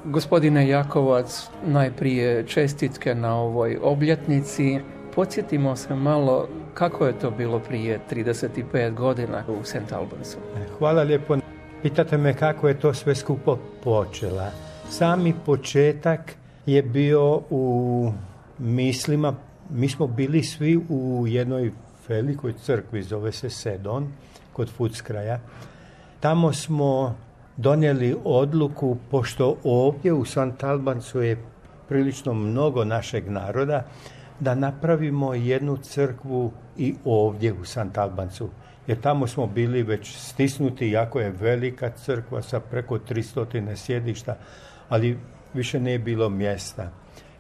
Gospodine Jakovac, najprije čestitke na ovoj obljetnici. Podsjetimo se malo kako je to bilo prije 35 godina u St. Albansu. Hvala lijepo. Pitate me kako je to sve skupo počela. Sami početak je bio u mislima. Mi smo bili svi u jednoj velikoj crkvi, zove se Sedon, kod Footscraya. Tamo smo donijeli odluku, pošto ovdje u St. Albansu je prilično mnogo našeg naroda, da napravimo jednu crkvu i ovdje u St. Albansu. Jer tamo smo bili već stisnuti, jako je velika crkva sa preko 300 sjedišta, ali više nije bilo mjesta.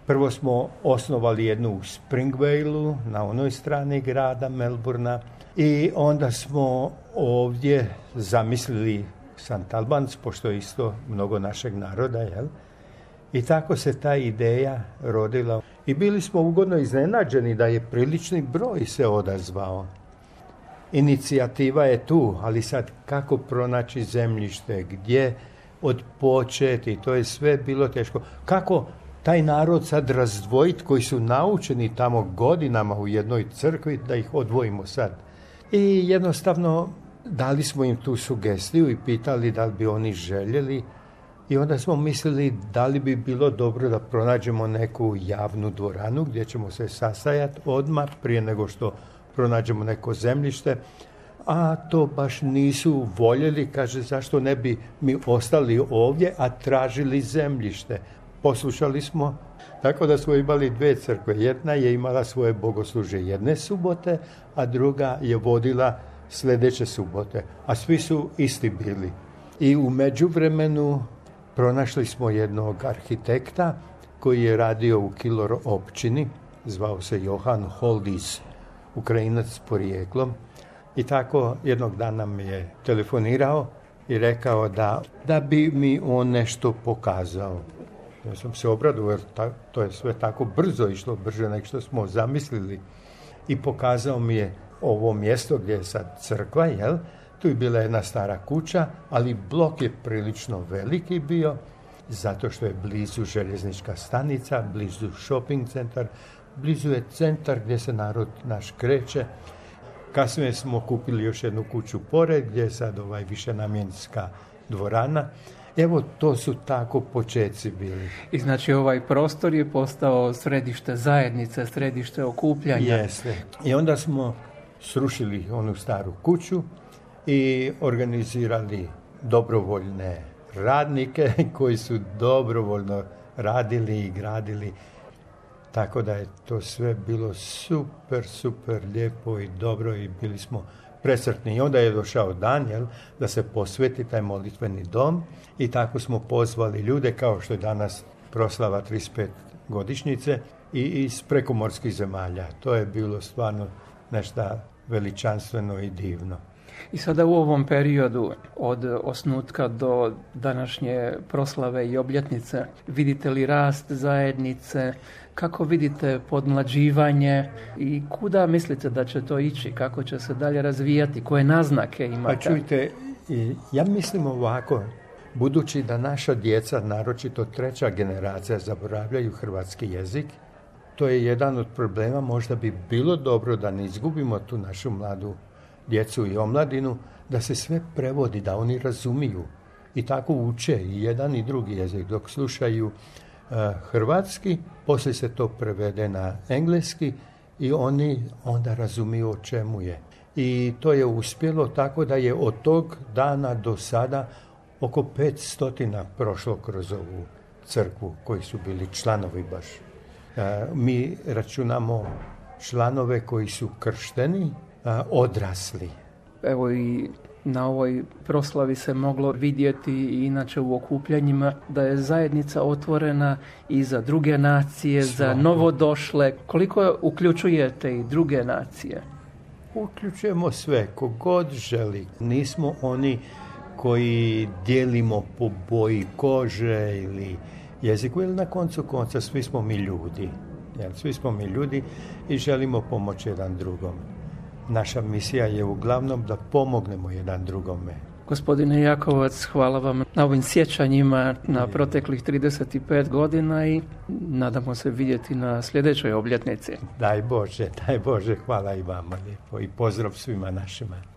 Prvo smo osnovali jednu u Springvaleu, na onoj strani grada Melbourna, i onda smo ovdje zamislili St. Albans, pošto je isto mnogo našeg naroda, jel? I tako se ta ideja rodila. I bili smo ugodno iznenađeni da je prilični broj se odazvao. Inicijativa je tu, ali sad kako pronaći zemljište, gdje odpočeti, to je sve bilo teško. Kako taj narod sad razdvojiti koji su naučeni tamo godinama u jednoj crkvi, da ih odvojimo sad. I jednostavno dali smo im tu sugestiju i pitali da li bi oni željeli. I onda smo mislili da li bi bilo dobro da pronađemo neku javnu dvoranu gdje ćemo se sastajati odmah prije nego što pronađemo neko zemljište. A to baš nisu voljeli, kaže zašto ne bi mi ostali ovdje, a tražili zemljište. Poslušali smo, tako da smo imali dvije crkve. Jedna je imala svoje bogoslužje jedne subote, a druga je vodila sljedeće subote. A svi su isti bili. I u međuvremenu pronašli smo jednog arhitekta koji je radio u Kilor općini, zvao se Johan Holdis, Ukrajinac s porijeklom. I tako jednog dana mi je telefonirao i rekao da bi mi on nešto pokazao. Ja sam se obradovao jer to je sve tako brzo išlo, brže nego što smo zamislili. I pokazao mi je ovo mjesto gdje je sad crkva, jel? Tu je bila jedna stara kuća, ali blok je prilično veliki bio, zato što je blizu željeznička stanica, blizu shopping centar, blizu je centar gdje se narod naš kreće. Kasnije smo kupili još jednu kuću pored, gdje je sad višenamjenska dvorana. Evo, to su tako počeci bili. I znači ovaj prostor je postao središte zajednice, središte okupljanja. Jeste. I onda smo srušili onu staru kuću i organizirali dobrovoljne radnike koji su dobrovoljno radili i gradili. Tako da je to sve bilo super lijepo i dobro i bili smo presretni. I onda je došao dan, da se posveti taj molitveni dom i tako smo pozvali ljude, kao što je danas proslava 35 godišnjice i iz prekomorskih zemalja. To je bilo stvarno nešto veličanstveno i divno. I sada u ovom periodu od osnutka do današnje proslave i obljetnice vidite li rast zajednice, kako vidite podmlađivanje i kuda mislite da će to ići, kako će se dalje razvijati, koje naznake imate? Pa čujte, ja mislim ovako, budući da naša djeca, naročito treća generacija, zaboravljaju hrvatski jezik, to je jedan od problema, možda bi bilo dobro da ne izgubimo tu našu mladu djecu i omladinu, da se sve prevodi, da oni razumiju i tako uče i jedan i drugi jezik. Dok slušaju hrvatski, poslije se to prevede na engleski i oni onda razumiju o čemu je. I to je uspjelo tako da je od tog dana do sada oko 500 prošlo kroz ovu crkvu koji su bili članovi baš. Mi računamo članove koji su kršteni, odrasli. Evo i na ovoj proslavi se moglo vidjeti i inače u okupljanjima da je zajednica otvorena i za druge nacije, za novodošle. Koliko uključujete i druge nacije? Uključujemo sve, kogod želi. Nismo oni koji dijelimo po boji kože ili jeziku, ili na koncu konca svi smo mi ljudi. Svi smo mi ljudi i želimo pomoći jedan drugom. Naša misija je uglavnom da pomognemo jedan drugome. Gospodine Jakovac, hvala vam na ovim sjećanjima na proteklih 35 godina i nadamo se vidjeti na sljedećoj obljetnici. Daj Bože, hvala i vama lijepo i pozdrav svima našima.